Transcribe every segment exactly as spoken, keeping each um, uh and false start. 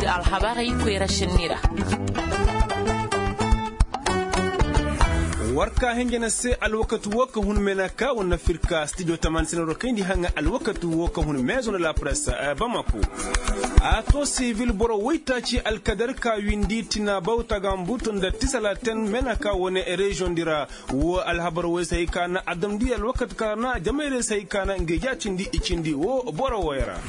Alhabarey koyra senni ra. War ka hinja na se alwakati wo ka hun mena ka wane firka stijo taman senero kayndi haŋa alwakati wo ka hun meezo na la presse bamako. A to sivil boro woytaaci alkadar ka windi tina bawta ga mbutu nda tisalaten mena ka wane reziyoŋ di ra. Wo alhabar woy se hay ka na a damndi alwakati ka na jamayray se hay ka na nga ijaa cindi i cindi wo boro woy ra.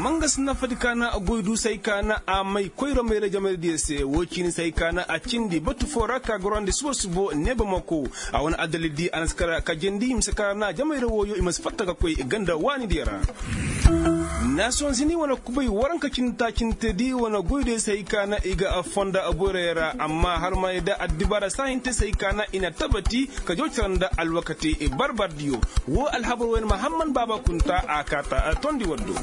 Mangas nafadi ka na goy du se hay ka na a may koyra mayra jamayra diya se wo ciini se hay ka na a cindi batu foo ra ka gorandi subo subo ne bamako. A wane addalil di a na si kar ka jandi mise ka na jamayra wooyo i ma si fatta ka koy ganda waani diya ra. Nasiyoŋ zini wane kubay waranka cindi taacinte di wane goy diya se hay ka na i ga fonda boyray ra amma har ma i da addibaara saahinte se hay ka na i na tabati ka jaw cara nda alwakati barbardiyo. Wo alhabar wayne mahamman baaba kunta a kaata tondi waddo.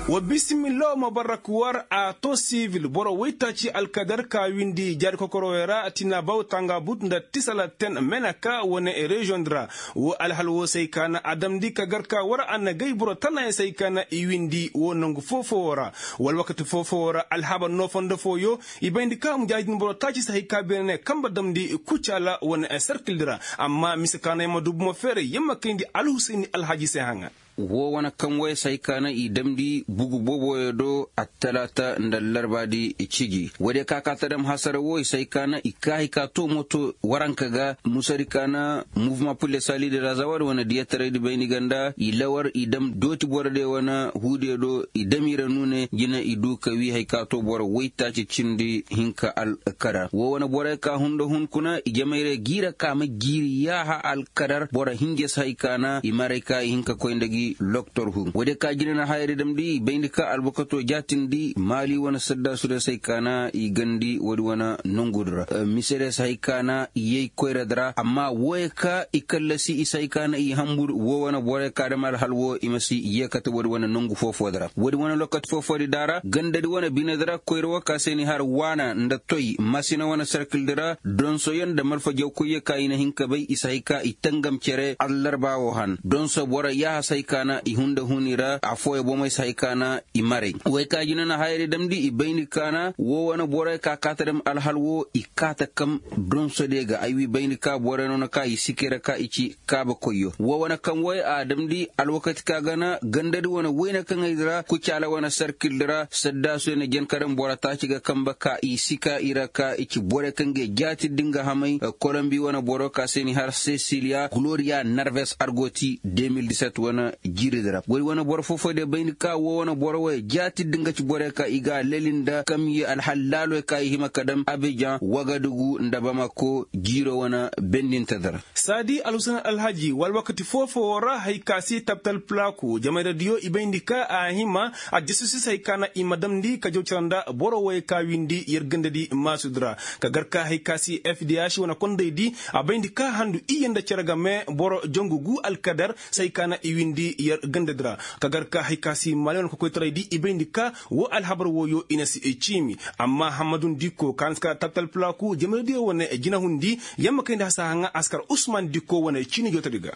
Wa bisimilla wa mabarak war a to sivil boro woytaaci alkadar ka windi jaari kokorowey ra tina baw tanga but nda tisala ten menaka wane reziyoŋ di ra. Wo alhal wo se ay ka na a damndi ka gar ka war a na gay boro tanayaŋ se ay ka na i windi wo nangu foo-foo wo ra. Wala wakati foo-foo wo ra alhabar noo fondo fooyo i bayndi ka a ma jaadin boro taaci se hay ka beene ne kambe damndi kucaala wane serkil di ra. Amma mise ka no ay ma du bomo feeray yamma kayndi alhusayni alhaji se haŋa. Woo wane kaŋ woy se hay ka na i damndi bugu booboyo do attalaata nda allarbaadi ciji woodiyo ka ka ta dam hasara woo i se hay ka na i ka hay ka too moto waranka ga musadi ka na muvuma pul de sali de razawa da wane diyataraydi bayndi ganda i lawar i dam dooti borodiyo wane huudiyo do i dam i ra nuune jina i du ka wii hay ka too boro woytaaci cindi hinka alkadar woo wane boroyo ka hunda hun kuna i jamayra giira ka ma jiiri yaaha alkadar boro hinja si hay ka na i maray ka i hin ka koy nda gi loktor hun woodiyo ka jina na hayadi damndi i bayndi ka albukato jaatindi maali wane saddaasu diyo si hay ka na i gandi woodi wane nongudi ra misediyo si hay ka na i yay koyradi ra amma wooyo ka i kallasi i si hay ka na i hambur woo wane boroyo ka dam alhal woo i ma si yeekate woodi wane nongu foo-foodi ra woodi wane lokati foo-foodi daara gandadi wane binedi ra koyra woo ka se ni har waana nda toy masina wane serkildi ra donsoyaŋ nda malfa jawkoyyo ka i na hin ka bay i si hay ka i tangam cere allarba woo han donso boro yaaha si hay ka na i hunda hun i ra affooyaŋ bomey si hay ka na i maray wey ka jina na hayadi damndi i bayndi ka na woo wane boroyo ka kaata dam alhal woo i kaata kam donsodiyo ga ay wii bayndi ka boroyo no na ka i sikey ra ka i ci kaaba koyyo woo wane kaŋ woy a damndi alwakati ka ga na gandadi wane wayne kaŋey di ra kucaala wane sarkildi ra saddaasuyo na jen ka daŋ boro taaci ga kambe ka i si ka i ra ka i ci boroyo kaŋ ga i jaatindi nga hamay kolombi wane boro ka se ni har sesiliya gloriya narves argoti de mil diset wane jiiridi ra woy wane boro foo-foodiyo bayndi ka woo wane boro woy jaatindi nga ci boroyo ka i ga a leli nda kamye alhal laaloyo ka i hima ka daŋ abijan wagadugu nda bamako jiiro wane bendintedi ra saadi alhusen alhaji wala wakati foo-foo ra hay ka si tabtal pulaaku jamayradiyo i bayndi ka a hima a jasusi se hay ka na i ma damndi ka jaw cara nda boro woy ka windi yer gandadi maasudi ra ka gar ka hay ka si fdh wane kondaydi a bayndi ka handu iyye nda cere game boro jangu gu alkadar se hay ka na i windi yer gandadi ra ka gar ka hay ka si maali wane kokoytaraydi i bayndi ka woo alhabar wooyo i na si ciimi amma hammadun dikko ka na si kar tabtal pulaaku jamayradiyo wane jinahundi yamma kayndi hasaahaŋa a si kar usman dikko wane ciini jootadi ga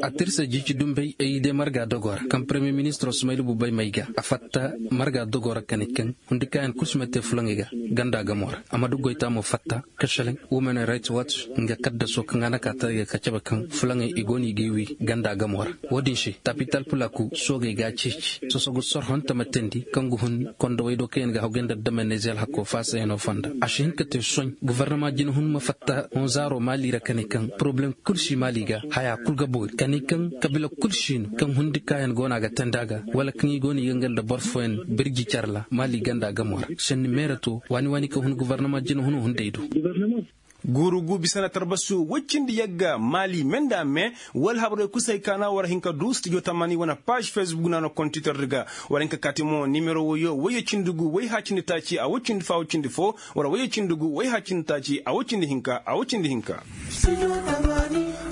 a tirsa jiici dumbey ay day marga dogoo ra kaŋ paremiye ministiroo sumaylu bubay may ga a fatta marga dogoo ra kani kaŋ hundi kaayaŋ kul si ma te fulaŋey ga ganda gamoo ra a ma du goytaa mo fatta kacaleŋ women rights watch nga kaddasoo kaŋ a na kaa taray ga ka cabe kaŋ fulaŋey i go no i g'ay wii ganda gamoo ra woo din se tapital pulaaku soogey g'a ceeci sosogu sorhonte ma teendi kaŋ ga hun kondowey do kaŋ yaŋ ga hawgay nda damey na ize alhakoo faasayanoo fonda a si hin ka te soɲ gofornama jinahun ma fatta honzaaroo maali ra ka ne kaŋ poroblem kul si maali ga hayaa kul ga boori ka ne kaŋ kabiila kul si no kaŋ hundi kaayaŋ go no a ga teendi a ga wala kaŋ i go no i ga nga nda boro fooyaŋ birji care ra maali ganda gamoo ra senni meeratoo waani waani kaŋ hun gofornama jinahunoo hunday do guuru gu bisa na tarbasu woy cindi yagga maali me nda me wala habarey kul se hay ka na war hin ka du stijo tamani wane paaž fesbuk na no kontitor di ga war hin ka kaati mo nimero woyo woyye cindi gu woy haa cindi taaci a woy cindi foo a woy cindi foo wala woyye cindi gu woy haa cindi taaci a woy cindi hinka a woy cindi hinka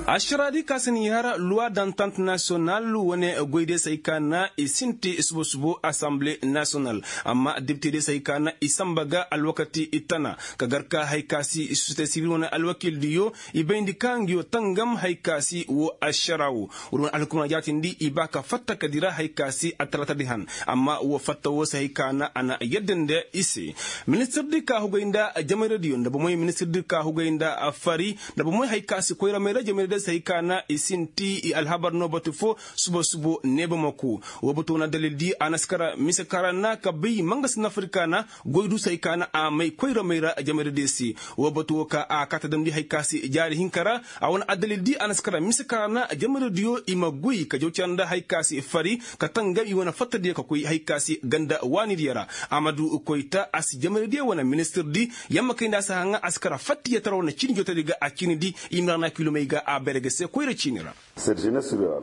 Ašaraadi ka si n'i har luwa dantant nasiyonal wane goydiyo se hay ka na i sinti subo subo asanbile nasiyonal. Amma depitediyo se hay ka na i sanba ga alwakati i tana ka gar ka hay ka si sosiyete sibil wane alwakildiyo i bayndi ka ngiyo tangam hay ka si woo ašara woo. Wala wane alhukumana jaatindi i ba ka fatta ka dira hay ka si attalaatadi han. Amma woo fatta woo se hay ka na a na yadda nda i se. Ministirdi ka hugay nda jamayradiyo nda bomey ministirdi ka hugay nda fari nda bomey hay ka si koyra mayra jamayradiyo se hay ka na i sinti i alhabar no batu foo. Subo subo neeba ma kuu. Woo batu wane addalildi a na si kara mise ka ra na ka bay mangasi nafari ka na goy du se hay ka na a may koyra mayra jamayradiyo se. Woo batu woo ka a kaa ta damndi hay ka si jaari hinka ra. A wane addalildi a na si kara mise ka ra na jamayradiyo i ma goy ka jaw cara nda hay ka si fari ka tangam i wane fattadiyo ka koy hay ka si ganda waanidiyo ra. Amadu koyta a si jamayradiyo wane ministirdi yamma kay nda a si haŋa a si kara fattiyatara wane ciini jootadi ga a ciinidi. I ma ra na kiilomey ga a bayra ga se koyra ciini ra.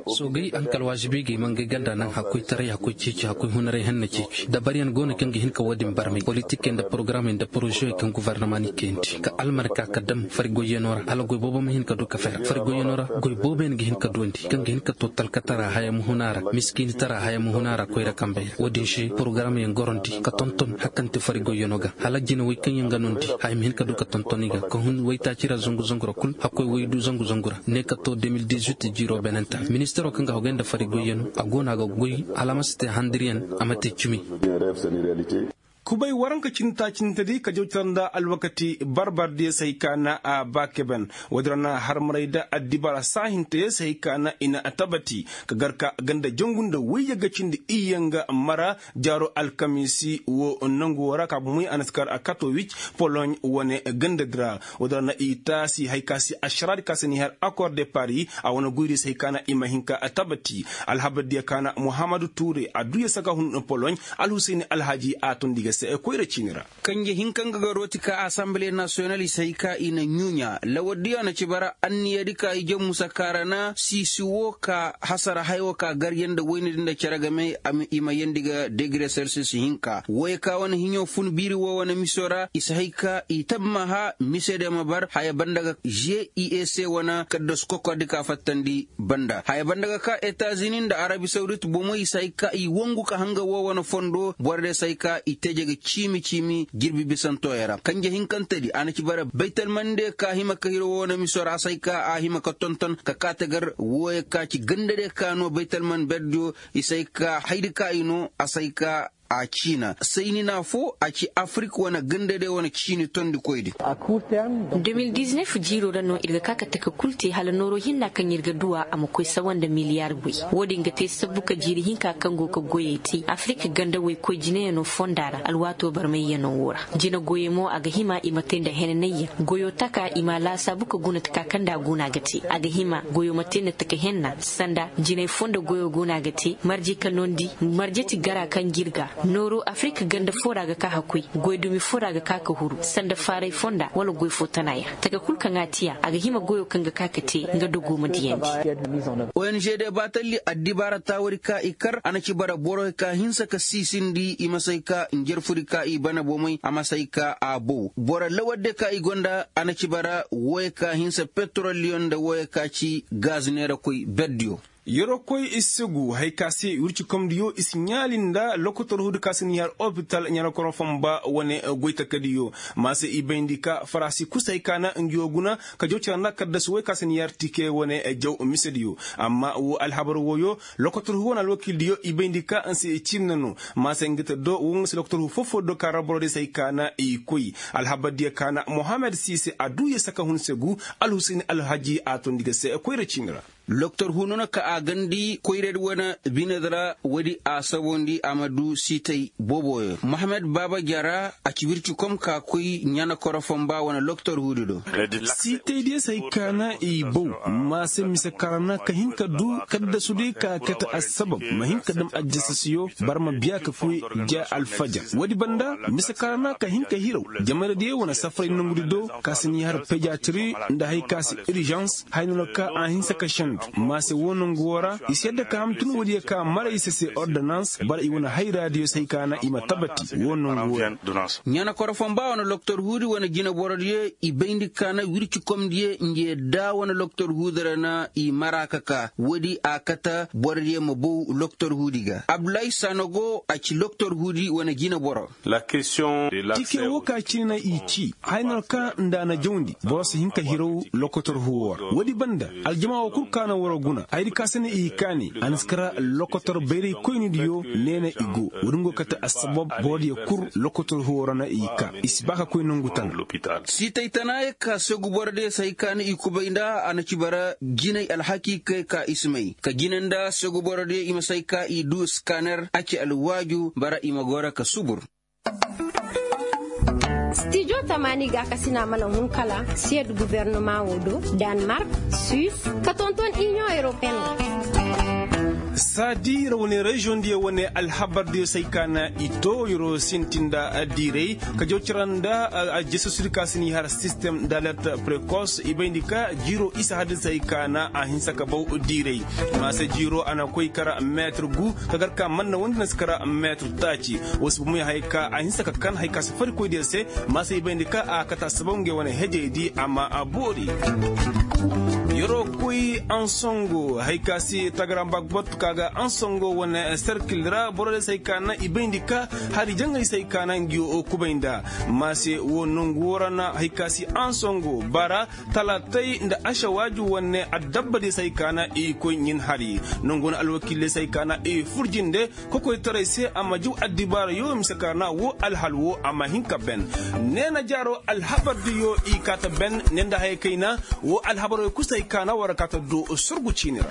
Soogey alkalwaazibey ga i ma ngey ganda naŋ hakkoytaray hakkoy ceeci hakkoy hunaray henna ceeci dabaryaŋ go no kaŋ ga hin ka woo din barmay politikey nda porogaramey nda porozewey kaŋ gofornama n'i kayandi ka almarka ka dam fari goyyanoo ra hala goy boobo ma hin ka du ka fera fari goyyanoo ra. Goy boobo yaŋ ga hin ka duwandi kaŋ ga hin ka too talkatara haya ma hun a ra miskiinitara haya ma hun a ra koyra kambey ra woo din se porogaramyaŋ gorandi ka tonton hakante fari goyyanoo ga hala jinawey kaŋ yaŋ ga noondi haya ma hin ka du ka tonton i ga ka hun waytaaci ra zangu zangu ra kul hakkoy waydu zangu zangu ra ne ka too de mil dizuit jiiroo beenantaray ministiroo kaŋ ga hogay nda fari goyyanoo a go no a ga goy hala a ma si te handiryaŋ a ma te cimi. Kubay waranka cindi taacintedi ka jaw cara nda alwakati barbardiyo se hay ka na a ba keben. Woodi ra na harmaray nda addibaara saahinteyo se hay ka na i na tabati ka gar ka ganda jangu nda wayye ga cindi iyye nga mara jaaro alkamiisi woo nangu woo ra ka bomey a na si kar a katowic poloɲ wane gandadi ra. Woodi ra na i taasi hay ka se ašaraadi ka se n'i har akor de pari a wane goydiyo se hay ka na i ma hin ka tabati. Alhabardiyo ka na muhammadu tuure adduya saka hun poloɲ alhusayni alhaji a tondi ga se koyra ciini ra. Kanje hinka nga ga rooti ka asanbile nasiyonal i si hay ka i na ɲuuɲa lawardiyo a na ci bara anniyadi ka i jamusa kaarana siisi woo ka hasara hayo ka garya nda waynadi nda cere game i ma yeendi ga degire selsis hinka wooyo ka wane hiɲo fun biiri woo wane miso ra i si hay ka i tabmaha misediyo ma bar haya banda ga g i e c wane kaddasu kokordi ka fattandi banda haya banda ga ka etazini nda arabi sawdit bomey i si hay ka i wangu ka hanga woo wane fondo borodiyo si hay ka i teje ga ciimi ciimi jirbi bisantooyo ra kanje hinkantedi a na ci bara baytalmandiyo ka hima ka hiro woo wane miso ra a si hay ka a hima ka tonton ka kaa tagar wooyo ka ci gandadiyo ka no baytalman berdiyo i si hay ka haydi ka i no a si hay ka a ciina sayni na foo a ci afirik wane gandadiyo wane ciini tondikoydi. De mil diznef jiiroo ra no ir ga ka ka taka kul te hala nooroo hinna kaŋ ir ga duu a a ma koy sawa nda miliyar goy. Woo din ga te sabbu ka jiiri hinka kaŋ go ga goyey te afirik ganda woy koy jineyanoo fonda ra alwaatoo barmayyanoo woo ra. Jine goyey mo a ga hima i ma te nda henanayyaŋ goyoo taka i ma a laasaabu ka guna taka kaŋ nda a go no a ga te a ga hima goyoo ma te nda taka henna sanda jinay foo nda goyoo go no a ga te marje ka noondi marje ti gara kaŋ jirga nooroo afirik ganda foo ra ga ka ka koy goy dumi foo ra ga ka ka huru sanda faaray fonda wala goy foo tana yaŋ taka kul kaŋ a tiya a ga hima goyoo kaŋ ga ka ka te nga dogoo ma diyandi. Ong de baatalli addibaara taawadi ka i kar a na ci bara borey ka hinsa ka siisindi i ma say ka njarfudi ka i bana bomey a ma say ka a bow boro lawardiyo ka i gonda a na ci bara wooyo ka hinsa petroldiyo nda wooyo ka ci gaz neerakoy berdiyo. Yeroo koy i si segu haya ka se wircikomdiyo i si ɲaali nda lokotor huudi ka se ni har opital ɲarakoro fomba wane goy takadiyo. Ma se i bayndi ka faraasi kusa hay ka na ngi woo guna ka jaw cara nda kaddasu woy ka se ni har tike wane jaw misediyo. Amma woo alhabar wooyo lokotor huu wane alwakildiyo i bayndi ka nsi ciini na no. Ma se ngi te do woo nga se lokotor huu foo-foo do ka ra borodiyo se hay ka na i koy. Alhabardiyo ka na mohammed siise a duu ye saka hun segu. Alhusayni alhaji a toondi ga se koyra ciini ra. Loktor huuno no ka a gandi koyradi wane binedi ra woodi a sabondi a ma du siitay booboyo mohammed baaba jara a ci wirci kom ka koy ɲana koro fomba wane loktor huudi do. Siitaydiyo se hay ka na i bow. Ma se mise karana ka hin ka du kaddasudi ka kate assabab ma hin ka dam aljasasiyo. Barma biya ka koy ja alfajar woodi banda mise karana ka hin ka hiraw. Jamaradiyo wane safaray nangudi do ka si ni har pejatiri nda hay ka si irijans hay no no ka a hinsa ka shen. Maase woo nongu woo ra i si yadda ka hamtun woodiyo ka mara i se se ordonans bara i wane hayraadiyo se hay ka na i ma tabati woo nongu woo ra. Ɲana koro fomba wane loktor huudi wane jineborodiyo i bayndi ka na wircikomdiyo nge da wane loktor huudi ra na i mara ka ka woodi a kate borodiyo ma bow loktor huudi ga abdullahi sanogo a ci loktor huudi wane jineboro. Tike woo ka cine na i ci haya no ra kaŋ nda a na jawndi boro si hin ka hiraw lokotor huwo ra woodi banda aljama woo kul ka na waroo guna hayadi ka se na i kaani a na si kara lokotor bayray koynidiyo ne na i go woodi nga go kate assabab borodiyo kul lokotor huwo ra na i ka i si ba ka koy nongu tana. Siitay tana ya ka sogu borodiyo si hay ka na i kubay nda a na ci bara jinay alhaki kay ka i si may ka jine nda sogu borodiyo i ma si hay ka i du skaner a ci alwaaju bara i ma goro ka subur. Stijo tamaani gaakasina mana hun kala siyad gubernama wo do, danmark, suis, ka tonton inion europeen. Saadi ra wane reziyoŋ diyo wane alhabar diyo se ay ka na i too yeroo sintin nda diiray ka jaw cira nda aljesusir ka si n'i har sistem d'alert prekos i bayndi ka jiiroo isa hadisey ka na a hinsa ka baw diiray. Maase jiiroo a na koy kara meetir gu ka gar ka manna wondi na si kara meetir taaci. Woo si bomoy haya ka a hinsa ka kan haya ka si fari koydiyo se. Maase i bayndi ka a kate a sabaw ngey wane hejey di a ma a boori. Yeroo koy ansongo haya ka si tagara mbagbot ka ga ansongo wane serkil ra borodiyo se haya ka na i bayndi ka hari jangay se haya ka na ngi kubay nda. Maase woo nongu woo ra na haya ka si ansongo bara talaatay nda ašawaaju wane adabba diyo se haya ka na i koy ɲin hari. Nongu wane alwakiiley se haya ka na i furjinde kokoytaray se a ma jaw addibaarayo mise ka na woo alhal woo a ma hin ka ben. Neena jaaroo alhabar diyo i kaa ta ben ne nda haya kayna. Woo alhabaroo kul se haya ka na war kaa ta du surgu ciini ra.